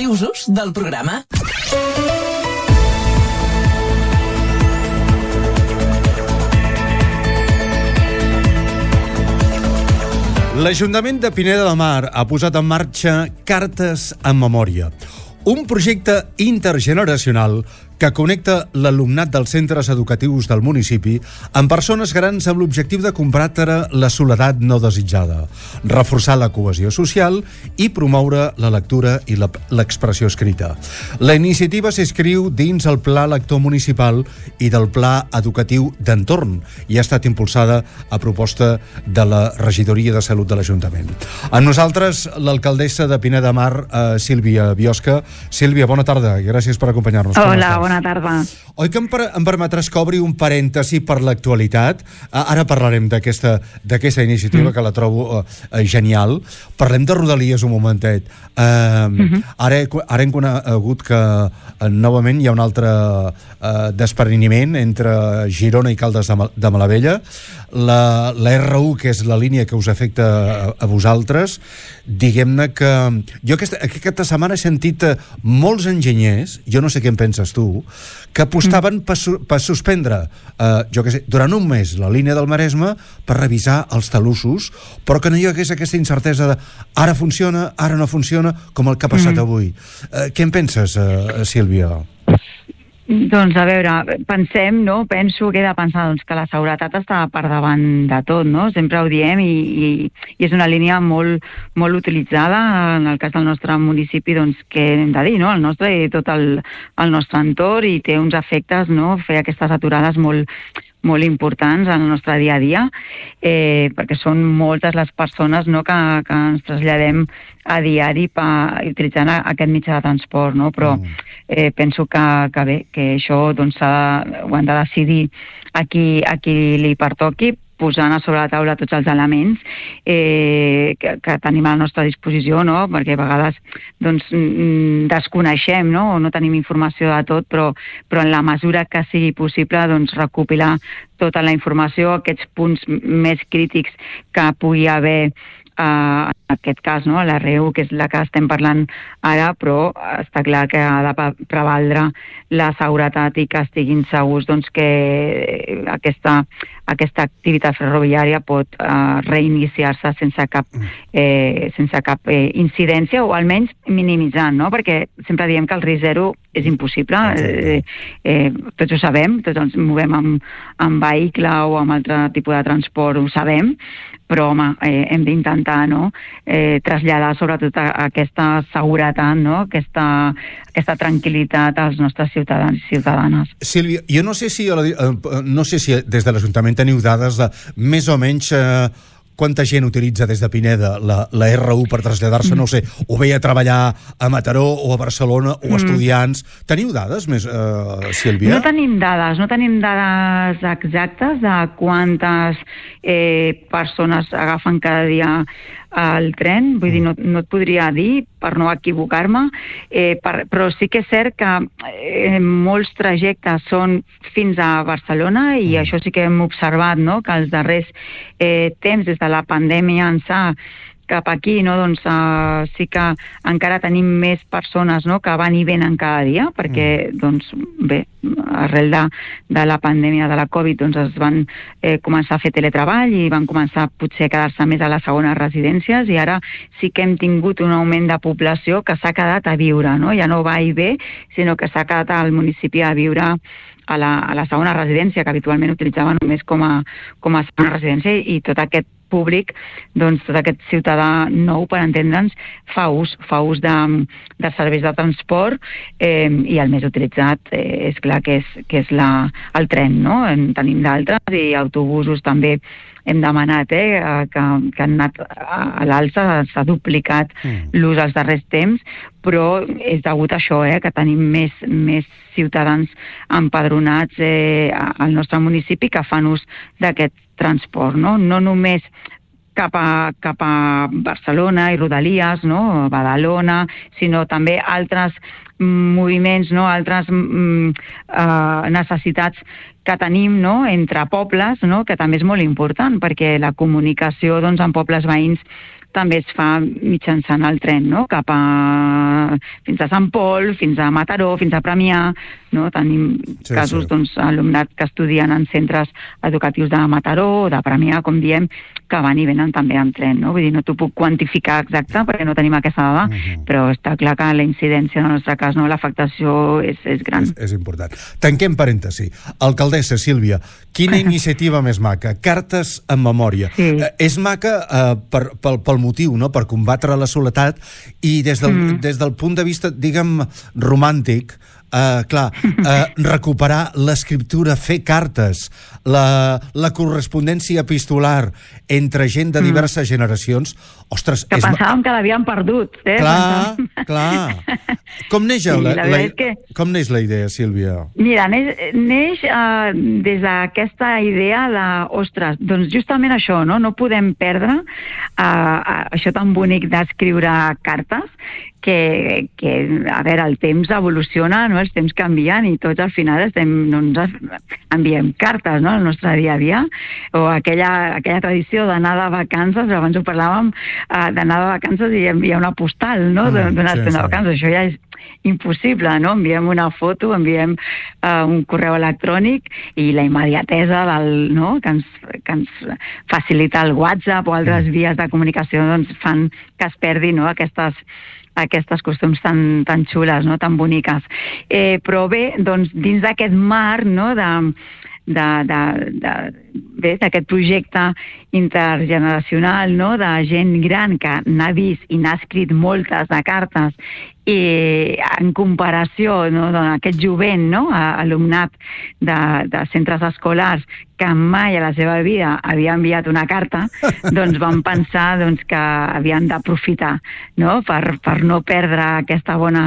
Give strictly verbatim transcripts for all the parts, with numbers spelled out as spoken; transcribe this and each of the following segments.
i usos del programa. L'Ajuntament de Pineda de Mar ha posat en marxa Cartes en Memòria, un projecte intergeneracional que connecta l'alumnat dels centres educatius del municipi amb persones grans amb l'objectiu de combatre la soledat no desitjada, reforçar la cohesió social i promoure la lectura i l'expressió escrita. La iniciativa s'inscriu dins el Pla Lector Municipal i del Pla Educatiu d'Entorn i ha estat impulsada a proposta de la Regidoria de Salut de l'Ajuntament. Amb nosaltres, l'alcaldessa de Pineda de Mar, eh, Sílvia Biosca. Sílvia, bona tarda i gràcies per acompanyar-nos. Hola, bona tarda. Oi que em, per, em permetràs que obri un parèntesi per l'actualitat? Ara parlarem d'aquesta d'aquesta iniciativa mm. que la trobo uh, genial. Parlem de Rodalies un momentet. Uh, mm-hmm. ara, ara hem conegut que uh, novament hi ha un altre uh, despreniment entre Girona i Caldes de, Mal de Malavella. La, la R u, que és la línia que us afecta a, a vosaltres, diguem-ne que jo aquesta, aquesta setmana he sentit molts enginyers, jo no sé què en penses tu, que apostaven per, su per suspendre eh, jo que sé, durant un mes la línia del Maresme per revisar els talussos, però que no hi hagués aquesta incertesa de ara funciona, ara no funciona, com el que ha passat mm. avui. Eh, què en penses, eh, Sílvia? Doncs a veure, pensem, no? Penso que he de pensar doncs, que la seguretat està per davant de tot, no? Sempre ho diem i, i, i és una línia molt, molt utilitzada en el cas del nostre municipi, doncs què hem de dir, no? El nostre i tot el, el nostre entorn i té uns efectes, no? Fer aquestes aturades molt, molt importants en el nostre dia a dia, eh, perquè són moltes les persones, no, que, que ens traslladem a diari pa, utilitzant aquest mitjà de transport, no? Però eh, penso que, que bé, que això doncs, ho han de decidir a qui, a qui li pertoqui, posant a sobre la taula tots els elements eh, que, que tenim a la nostra disposició, no? Perquè a vegades doncs, desconeixem, no? O no tenim informació de tot, però, però en la mesura que sigui possible doncs, recopilar tota la informació, aquests punts més crítics que pugui haver Uh, en aquest cas, no? La R u, que és la que estem parlant ara, però està clar que ha de prevaldre la seguretat i que estiguin segurs doncs, que aquesta, aquesta activitat ferroviària pot uh, reiniciar-se sense cap, eh, sense cap eh, incidència o almenys minimitzant, no? Perquè sempre diem que el risc zero és impossible, eh, eh, tots ho sabem, tots ens movem amb, amb vehicle o amb altre tipus de transport, ho sabem, però home, eh, hem d'intentar, no? eh, traslladar sobretot a, a aquesta seguretat, no? aquesta, aquesta tranquil·litat als nostres ciutadans i ciutadanes. Sílvia, jo no sé si, no sé si des de l'Ajuntament teniu dades de més o menys eh, quanta gent utilitza des de Pineda la, la R u per traslladar-se, no sé, o bé a treballar a Mataró o a Barcelona o a estudiants. Teniu dades més, eh, Sílvia? No tenim dades, no tenim dades exactes de quantes eh, persones agafen cada dia el tren, vull dir, no, no et podria dir per no equivocar-me, eh, per, però sí que és cert que eh, molts trajectes són fins a Barcelona i mm. això sí que hem observat, no?, que els darrers eh, temps, des de la pandèmia ençà cap aquí, no, doncs uh, sí que encara tenim més persones, no, que van i venen cada dia, perquè, mm. doncs, bé, arrel de, de la pandèmia de la Covid, doncs es van eh, començar a fer teletreball i van començar potser a quedar-se més a les segones residències i ara sí que hem tingut un augment de població que s'ha quedat a viure, no? Ja no va i ve, sinó que s'ha quedat al municipi a viure a la, a la segona residència, que habitualment utilitzava només com a, com a segona residència, i tot aquest públic, doncs tot aquest ciutadà nou, per entendre'ns, fa ús, fa ús de, de serveis de transport eh, i el més utilitzat eh, és clar que és, que és la, el tren, no? En tenim d'altres i autobusos també hem demanat eh, que, que han anat a l'alça, s'ha duplicat mm. l'ús als darrers temps, però és degut a això, eh, que tenim més, més ciutadans empadronats eh, al nostre municipi que fan ús d'aquest transport, no? No només cap a, cap a Barcelona i Rodalies, no? Badalona, sinó també altres moviments, no? Altres mm, uh, necessitats que tenim, no? Entre pobles, no? Que també és molt important, perquè la comunicació doncs, en pobles veïns també es fa mitjançant el tren, no? Cap a fins a Sant Pol, fins a Mataró, fins a Premià, no? Tenim sí, casos, sí. doncs, alumnat que estudien en centres educatius de Mataró o de Premià, com diem, que van i venen també en tren, no? Vull dir, no t'ho puc quantificar exacte perquè no tenim aquesta dada, uh-huh. però està clar que la incidència en el nostre cas, no, l'afectació és, és gran. És, és important. Tanquem parèntesi. Alcaldessa Sílvia, quina iniciativa més maca? Cartes en memòria. Sí. Eh, és maca eh, per, pel, pel motiu, no?, per combatre la soledat i des del, mm. des del punt de vista, diguem, romàntic, Uh, clar, uh, recuperar l'escriptura, fer cartes, la, la correspondència epistolar entre gent de diverses mm. generacions, ostres... Que és... pensàvem que l'havíem perdut, eh? Clar, pensàvem... clar. Com neix, sí, la, la, la, que... com neix la idea, Sílvia? Mira, neix, neix uh, des d'aquesta idea de, ostres, doncs justament això, no? No podem perdre uh, això tan bonic d'escriure cartes, que, que, a veure, el temps evoluciona, no? Els temps canvien i tots al final estem, doncs, enviem cartes, no?, al nostre dia a dia, o aquella, aquella tradició d'anar de vacances, abans ho parlàvem, uh, d'anar de vacances i enviar una postal, no?, mm, d'una sí, estona sí. de vacances. Això ja és impossible, no? Enviem una foto, enviem uh, un correu electrònic i la immediatesa del, no?, que ens, que ens facilita el WhatsApp o altres mm. vies de comunicació, doncs fan que es perdi, no?, aquestes aquestes costums tan, tan xules, no?, tan boniques. Eh, però bé, doncs, dins d'aquest marc, no?, de, de, de, de, bé, d'aquest projecte intergeneracional, no?, de gent gran que n'ha vist i n'ha escrit moltes de cartes i en comparació, no?, d'aquest jovent, no?, alumnat de, de centres escolars que mai a la seva vida havia enviat una carta, doncs van pensar, doncs, que havien d'aprofitar, no?, per, per no perdre aquesta bona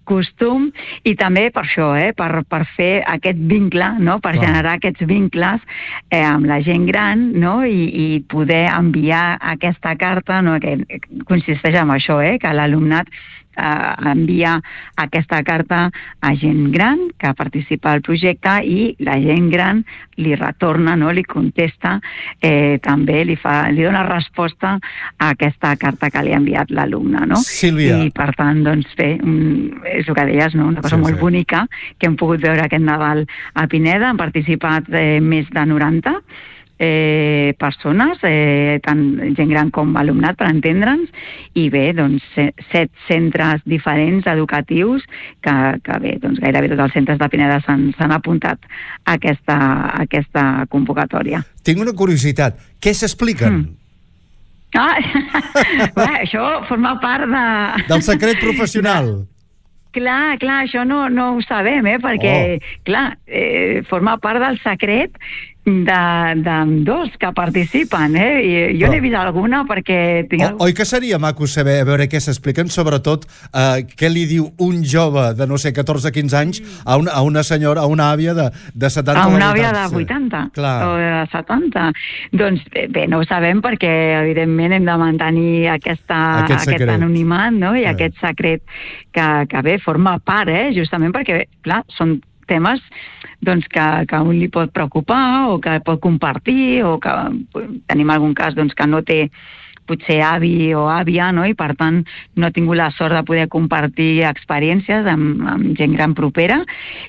costum i també per això, eh?, per, per fer aquest vincle, no?, per wow. generar aquests vincles eh, amb la gent gran, no?, i, i poder enviar aquesta carta, no?, que consisteix en això, eh?, que l'alumnat Uh, envia aquesta carta a gent gran que participa al projecte i la gent gran li retorna, no?, li contesta, eh, també li, fa, li dona resposta a aquesta carta que li ha enviat l'alumne, no? Sílvia. I per tant, doncs bé, un, és el que deies, no?, una cosa sí, molt sí. bonica que hem pogut veure aquest Nadal a Pineda. Han participat eh, més de noranta Eh, persones, eh, tant gent gran com alumnat, per entendre'ns, i bé, doncs, set centres diferents educatius que, que bé, doncs gairebé tots els centres de Pineda s'han apuntat a aquesta, a aquesta convocatòria. Tinc una curiositat. Què s'expliquen? Mm. Ah, bé, això forma part de... Del secret professional. Clar, clar, això no, no ho sabem, eh? Perquè, oh. clar, eh, forma part del secret d'ambdós que participen, eh? I jo n'he vist alguna perquè... Tinc... O, oi que seria maco saber, a veure què s'expliquen, sobretot eh, què li diu un jove de, no sé, catorze a quinze anys a una, a una senyora, a una àvia de, de setanta a una o vuitanta. àvia de vuitanta Clar. o de setanta. Doncs bé, no ho sabem perquè, evidentment, hem de mantenir aquesta, aquest, aquest anonimat, no?, i eh. aquest secret que, que bé, forma part, eh? Justament perquè, clar, són temes doncs, que, que a un li pot preocupar o que pot compartir o que tenim algun cas doncs, que no té potser avi o àvia, no?, i per tant no ha tingut la sort de poder compartir experiències amb, amb gent gran propera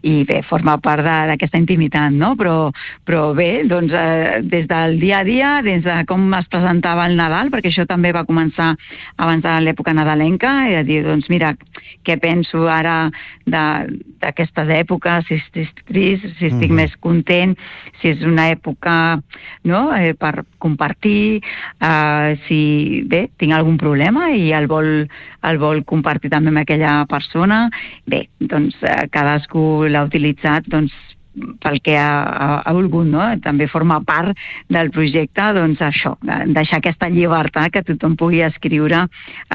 i bé, forma part d'aquesta intimitat, no? Però, però bé, doncs eh, des del dia a dia, des de com es presentava el Nadal, perquè això també va començar abans de l'època nadalenca, i a dir, doncs mira, què penso ara d'aquestes èpoques, si estic trist, si estic mm-hmm. més content, si és una època, no?, eh, per compartir, eh, si bé, tinc algun problema i el vol, el vol compartir també amb aquella persona. Bé, doncs eh, cadascú l'ha utilitzat doncs, pel que ha, ha, ha volgut, no? També forma part del projecte, doncs això, deixar aquesta llibertat que tothom pugui escriure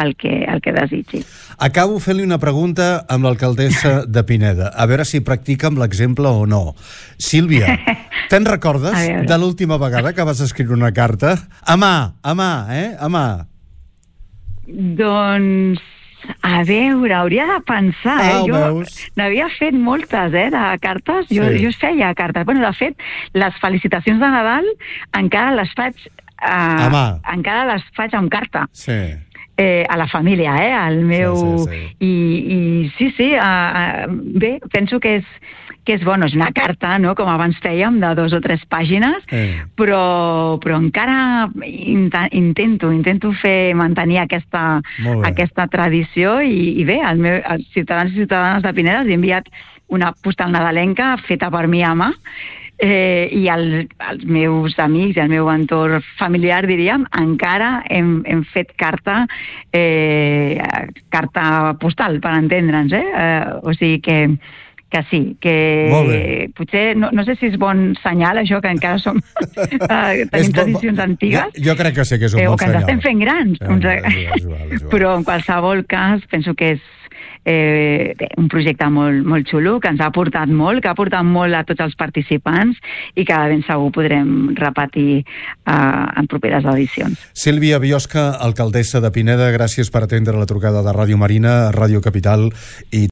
el que, el que desitgi. Acabo fent-li una pregunta amb l'alcaldessa de Pineda, a veure si practica amb l'exemple o no. Sílvia, te'n recordes de l'última vegada que vas escriure una carta? A mà, a mà, eh? A mà. Doncs... A veure, hauria de pensar, eh? Ah, jo n'havia fet moltes, eh, de cartes. Jo, sí. jo feia cartes. Bueno, de fet, les felicitacions de Nadal encara les faig uh, encara les faig amb carta. Sí. Eh, a la família, eh? Al meu... Sí, sí, sí. I, i sí, sí, uh, uh, bé, penso que és, que és bueno, és una carta, no?, com abans fèiem, de dos o tres pàgines, eh. però, però encara intento, intento fer, mantenir aquesta, aquesta tradició i, i bé, el meu, els ciutadans i ciutadanes de Pineda els he enviat una postal nadalenca feta per mi a mà, Eh, i el, els meus amics i el meu entorn familiar, diríem, encara hem, hem fet carta eh, carta postal, per entendre'ns, eh? eh? O sigui que, que sí, que potser, no, no sé si és bon senyal, això, que encara som eh, tenim tradicions antigues. Jo, jo crec que sí que és un eh, bon senyal. O que ens estem fent grans. Eh, uns... és igual, és igual, és igual. Però en qualsevol cas penso que és Eh, bé, un projecte molt, molt xulo, que ens ha aportat molt, que ha aportat molt a tots els participants i que ben segur podrem repetir eh, en properes edicions. Sílvia Biosca, alcaldessa de Pineda, gràcies per atendre la trucada de Ràdio Marina, Ràdio Capital i